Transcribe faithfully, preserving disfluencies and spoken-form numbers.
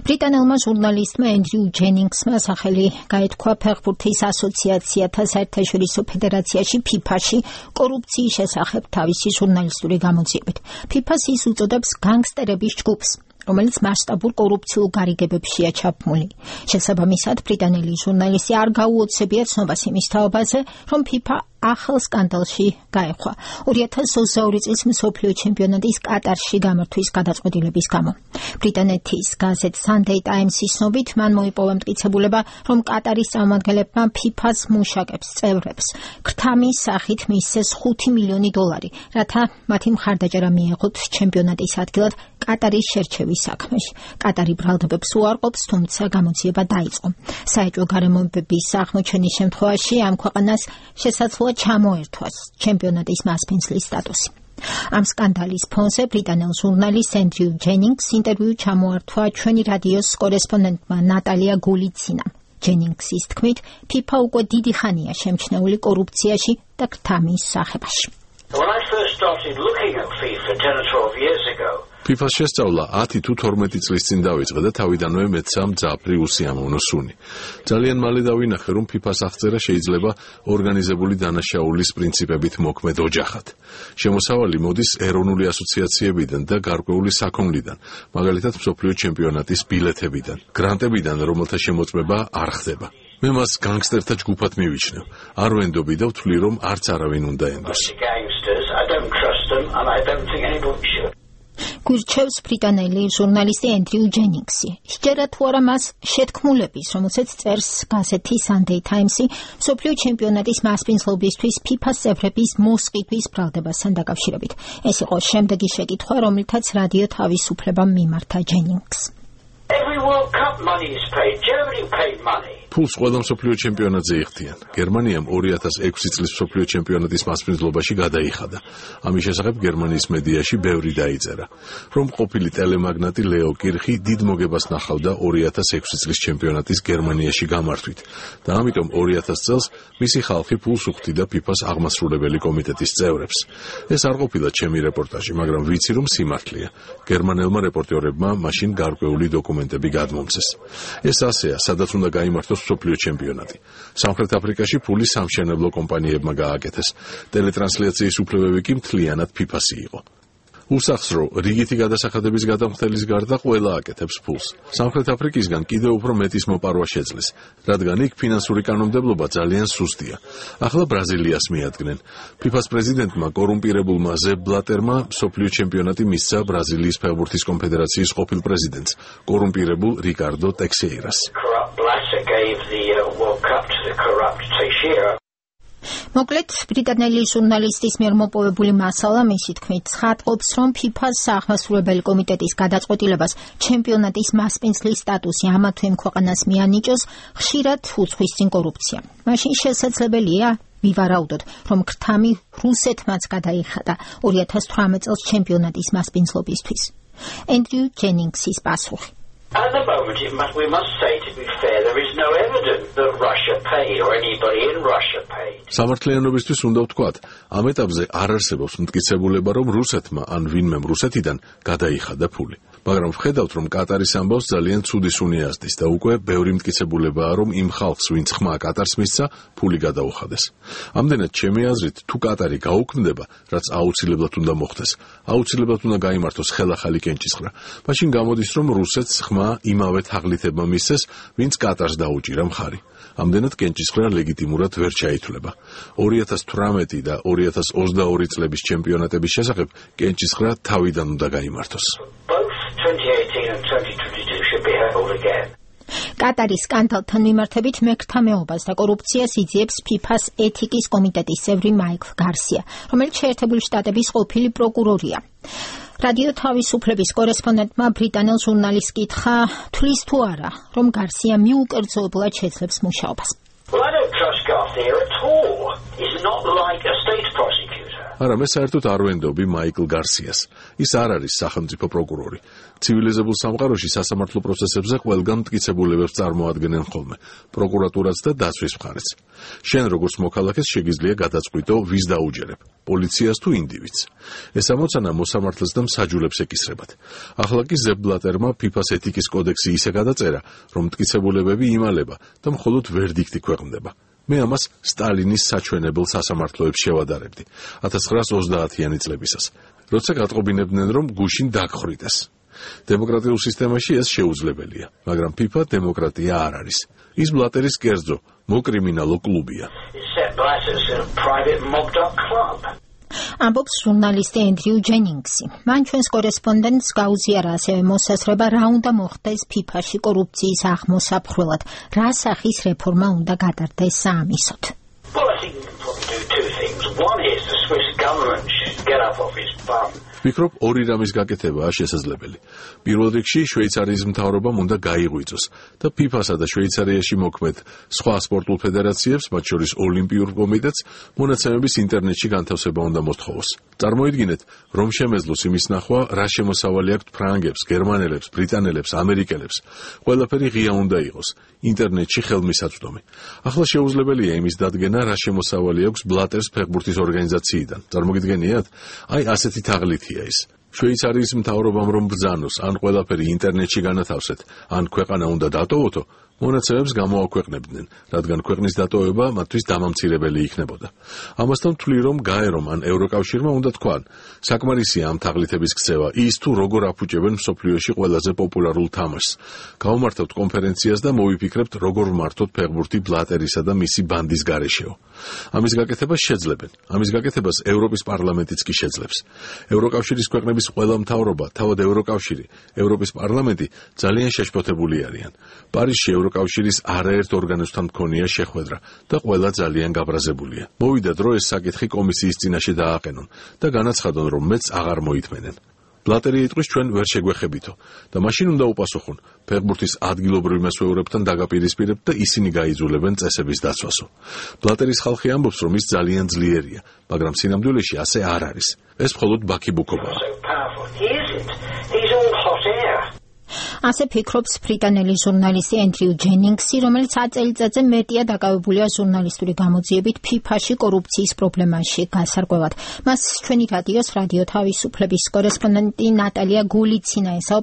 ბრიტანელმა ჟურნალისტმა ენდრიუ ჯენინგსმა სახელი გაითქვა ფეხბურთის ასოციაციათა საერთაშორისო ფედერაციაში ფიფაში კორუფციის შესახებ თავისი ჟურნალისტური გამოძიებით. ფიფას ის უწოდებს განგსტერების ჯგუფს, რომელიც მასშტაბურ კორუფციულ გარიგებებშია ჩაბმული. შესაბამისად, ბრიტანელი ჟურნალისტი არ გაუოცებია ცნობას იმის თაობაზე, რომ ფიფა ახალ სკანდალში გაეხვა ორი ათას ოცდაორი წლის მსოფლიო ჩემპიონატის კატარში გამართვის გადაწყვეტილების გამო. ბრიტანეთის გაზეთ Sunday Times-ის ცნობით, მან მოიპოვა მტკიცებულება, რომ კატარის წარმომადგენლებმა ფიფას მუშაკებს წევრებს ქრთამის სახით მისცეს ხუთი მილიონი დოლარი, რათა მათი მხარდაჭერა მიეღოთ ჩემპიონატის ადგილად კატარის შერჩევის საქმეში. კატარი ბრალდებებს უარყოფს, თუმცა გამოძიება დაიწყო. საეჭვო გარემოებების აღმოჩენის შემთხვევაში ამ ქვეყანას შესაძლოა ჩამოერთვას ჩემპიონატის მასპინძლის სტატუსი. ამ სკანდალის ფონზე ბრიტანელ ჟურნალისტ ენდრიუ ჯენინგს ინტერვიუ ჩამოართვა ჩვენი რადიოს კორესპონდენტმა ნატალია გულიცინამ. ჯენინგსის თქმით, ფიფა უკვე დიდი ხანია შემჩნეული კორუფციაში და ქრთამის სახებაში. When I first started looking at FIFA ten or twelve years ago, ფიფას შესწავლა ათი თუ თორმეტი წლის წინ დავიწყე და თავიდანვე მეცამ მძაფრი უსიამოვნო სუნი. ძალიან მალე დავინახე, რომ ფიფას აღწერა შეიძლება ორგანიზებული დანაშაულის პრინციპებით მოქმედ ოჯახად. შემოსავალი მოდის ეროვნული ასოციაციებიდან და გარკვეული საქონლიდან, მაგალითად მსოფლიო ჩემპიონატის ბილეთებიდან, გრანტებიდან, რომელთა შემოწმება არ ხდება. მე მას განგსტერთა ჯგუფად მივიჩნევ. არ ვენდობი და ვთვლი, რომ არც არავინ უნდა ენდოს. გურჩევს ბრიტანელი ჟურნალისტი ენდრიუ ჯენინგსი. სჯერა თუ არა მას შეთქმულების, რომელსაც წერს გაზეთი Sunday Times-ი, მსოფლიო ჩემპიონატის მასპინძლობისთვის ფიფას წევრების მოსყიდვის ბრალდებასთან დაკავშირებით. ეს იყო შემდეგი შეკითხვა, რომლითაც რადიო თავისუფლებამ მიმართა ჯენინგს. Every World Cup money is paid. Germany paid money. ფულს ყველა მსოფლიო ჩემპიონატზე იხდიან. გერმანიამ ორი ათას ექვსი წლის მსოფლიო ჩემპიონატის მასპინძლობაში გადაიხადა. ამის შესახებ გერმანიის მედიაში ბევრი დაიწერა, რომ ყოფილი ტელემაგნატი ლეო კირხი დიდ მოგებას ნახავდა ორი ათას ექვსი წლის ჩემპიონატის გერმანიაში გამართვით და ამიტომ ორი ათას წელს მისი ხალხი ფულს უხდიდა ფიფას აღმასრულებელი კომიტეტის წევრებს. ეს არ ყოფილა ჩემი რეპორტაჟი, მაგრამ ვიცი, რომ სიმართლეა. გერმანელმა რეპორტერებმა მაშინ გარკვეული დოკუმენტები გადმომცეს. ეს ასეა, სადაც უნდა გაიმართოს მსოფლიო ჩემპიონატი. სამხრეთ აფრიკაში ფული სამშენებლო კომპანიებმა გააკეთეს. ტელეტრანსლაციის უფლებები კი მთლიანად ფიფასი იყო. უსახს, რომ რიგითი გადასახადების გადამხდელის გარდა ყველა აკეთებს ფულს. სამხრეთ აფრიკისგან კიდევ უფრო მეტის მოპარვა შეძლეს, რადგან იქ ფინანსური კანონმდებლობა ძალიან სუსტია. ახლა ბრაზილიას მიადგნენ. ფიფას პრეზიდენტმა კორუმპირებულმა ზებ ბლატერმა მსოფლიო ჩემპიონატი მისცა ბრაზილიის ფეხბურთის კონფედერაციის ყოფილ პრეზიდენტს, კორუმპირებულ რიკარდო ტექსეირას. მოკლედ, ბრიტანელი ჟურნალისტის მიერ მოპოვებული მასალა მისი თქმით ცხადყოფს, რომ ფიფას აღმასრულებელი კომიტეტის გადაწყვეტილებას ჩემპიონატის მასპინძლის სტატუსი ამა თუ იმ ქვეყანას მიანიჭოს, ხშირად უძღვის წინ კორუფცია. მაშინ შესაძლებელია ვივარაუდოთ, რომ ქრთამი რუსეთმაც გადაიხადა ორი ათას თვრამეტ წელს ჩემპიონატის მასპინძლობისთვის. ენდრიუ ჯენინგსის პასუხი. At the moment, it must, we must say, to be fair, there is no evidence that Russia paid or anybody in Russia paid. სამართლიანობისთვის უნდა ვთქვათ, ამ ეტაპზე არ არსებობს მტკიცებულება, რომ რუსეთმა ან ვინმემ რუსეთიდან გადაიხადა ფული. მაგრამ ვხედავთ, რომ კატარის ამბავს ძალიან ცუდი სუნი ასდის და უკვე ბევრი მტკიცებულებაა, რომ იმ ხალხს, ვინც ხმა კატარს მისცა, ფული გადაუხადეს. ამდენად, ჩემი აზრით, თუ კატარი გაუქმდება, რაც აუცილებლად უნდა მოხდეს, აუცილებლად უნდა გაიმართოს ხელახალი კენჭისყრა. მაშინ გამოდის, რომ რუსეთს ხმა იმავე თაღლითებმა მისცეს, ვინც კატარს დაუჭირა მხარი. ამდენად კენჭისყრა ლეგიტიმურად ვერ ჩაითვლება. ორი ათას თვრამეტი და ორი ათას ოცდაორი წლების ჩემპიონატების შესახებ კენჭისყრა თავიდან უნდა გაიმართოს. კატარის სკანდალთან მიმართებით მეკრთამეობას და კორუფციას იძიებს ფიფას ეთიკის კომიტეტის წევრი მაიკლ გარსია, რომელიც შეერთებული შტატების ყოფილი პროკურორია. რადიო თავისუფლების კორესპონდენტმა ბრიტანელ ჟურნალისტს კითხა, თვლის თუ არა, რომ გარსია მიუკერძოებლად შეძლებს მუშაობას. Well, I don't trust Garcia at all. He's not like a state prosecutor. არამედ საერთოდ არ ვენდობი მაიკლ გარსიას. ის არ არის სახელმწიფო პროკურორი. ცივილიზებულ სამყაროში სასამართლო პროცესებზე ყველგან მტკიცებულებებს წარმოადგენენ ხოლმე, პროკურატურაც და დაცვის მხარეც. შენ როგორც მოქალაქეს შეგიძლია გადაწყვიტო, ვის დაუჯერებ, პოლიციას თუ ინდივიდს. ეს ამოცანა მოსამართლეს და მსაჯულებს ეკისრებათ. ახლა კი ზებ ბლატერმა ფიფას ეთიკის კოდექსი ისე გადაწერა, რომ მტკიცებულებები იმალება და მხოლოდ ვერდიქტი ქვეყნდება. მე ამას სტალინის საჩვენებელ სასამართლოებს შევადარებდი ათას ცხრაასი ოცდაათიანი წლებისას, როცა გატყობინებდნენ, რომ გუშინ დაგხრიტეს. დემოკრატიულ სისტემაში ეს შეუძლებელია, მაგრამ ფიფა დემოკრატია არ არის. ის ბლატერის კერძო, მოკრიმინალო კლუბია. ამბობს ჟურნალისტი ენდრიუ ჯენინგსი. მან ჩვენს კორესპონდენტს გაუზიარა ასევე მოსაზრება, რა უნდა მოხდეს ფიფაში კორუფციის აღმოსაფხვრელად, რა სახის რეფორმა უნდა გადარდეს საამისოდ. ვფიქრობ, ორი რამის გაკეთებაა შესაძლებელი. პირველ რიგში შვეიცარიის მთავრობამ უნდა გაიღვიძოს და ფიფასა და შვეიცარიაში მოქმედ სხვა სპორტულ ფედერაციებს, მათ შორის ოლიმპიურ კომიტეტს, მონაცემების ინტერნეტში განთავსება უნდა მოსთხოვოს. წარმოიდგინეთ, რომ შემეძლოს იმის ნახვა, რა შემოსავალი აქვთ ფრანგებს, გერმანელებს, ბრიტანელებს, ამერიკელებს. ყველაფერი ღია უნდა იყოს, ინტერნეტში ხელმისაწვდომი. ახლა შეუძლებელია იმის დადგენა, რა შემოსავალი აქვს ბლატერს ფეხბურთის ორგანიზაციიდან. წარმოგიდგენიათ? აი ასეთი თაღლითია ის. შვეიცარიის მთავრობამ რომ ბრძანოს, ან ყველაფერი ინტერნეტში განათავსეთ, ან ქვეყანა უნდა დატოვოთო, მონაცემებს გამოაქვეყნებდნენ, რადგან ქვეყნის დატოვება მათთვის დამამცირებელი იქნებოდა. ამასთან ვთვლი, რომ გაერომ ან ევროკავშირმა უნდა თქვან, საკმარისია ამ თაღლითების ქცევა, ის თუ როგორ აფუჭებენ მსოფლიოში ყველაზე პოპულარულ თამაშს. გავუმართავთ კონფერენციას და მოვიფიქრებთ, როგორ ვმართოთ ფეხბურთი ბლატერისა და მისი ბანდის გარეშეო. ამის გაკეთებას შეძლებენ. ამის გაკეთებას ევროპის პარლამენტიც კი შეძლებს. ევროკავშირის ქვეყნების ყველა მთავრობა, თავად ევროკავშირი, ევროპის პარლამენტი ძალიან შეშფოთებული არიან. პარიზში ევროკავშირის არაერთ ორგანოსთან მქონია შეხვედრა და ყველა ძალიან გაბრაზებულია. მოვიდა დრო ეს საკითხი კომისიის წინაშე დააყენონ და განაცხადონ, რომ მეც აღარ მოითმენენ. ბლატერი იტყვის, ჩვენ ვერ შეგვეხებითო და მაშინ უნდა უპასუხონ, ფეხბურთის ადგილობრივ მესვეურებთან დაგაპირისპირებთ და ისინი გაიძულებენ წესების დაცვასო. ბლატერის ხალხი ამბობს, რომ ის ძალიან ძლიერია, მაგრამ სინამდვილეში ასე არ არის. ეს მხოლოდ ბაქიბუქობაა. ასე ფიქრობს ბრიტანელი ჟურნალისტი ენდრიუ ჯენინგსი, რომელიც ათ წელიწადზე მეტია დაკავებულია ჟურნალისტური გამოძიებით ფიფაში კორუფციის პრობლემაში გასარკვევად. მას ჩვენი რადიოს რადიო თავისუფლების კორესპონდენტი ნატალია გულიცინა ესაუბრა.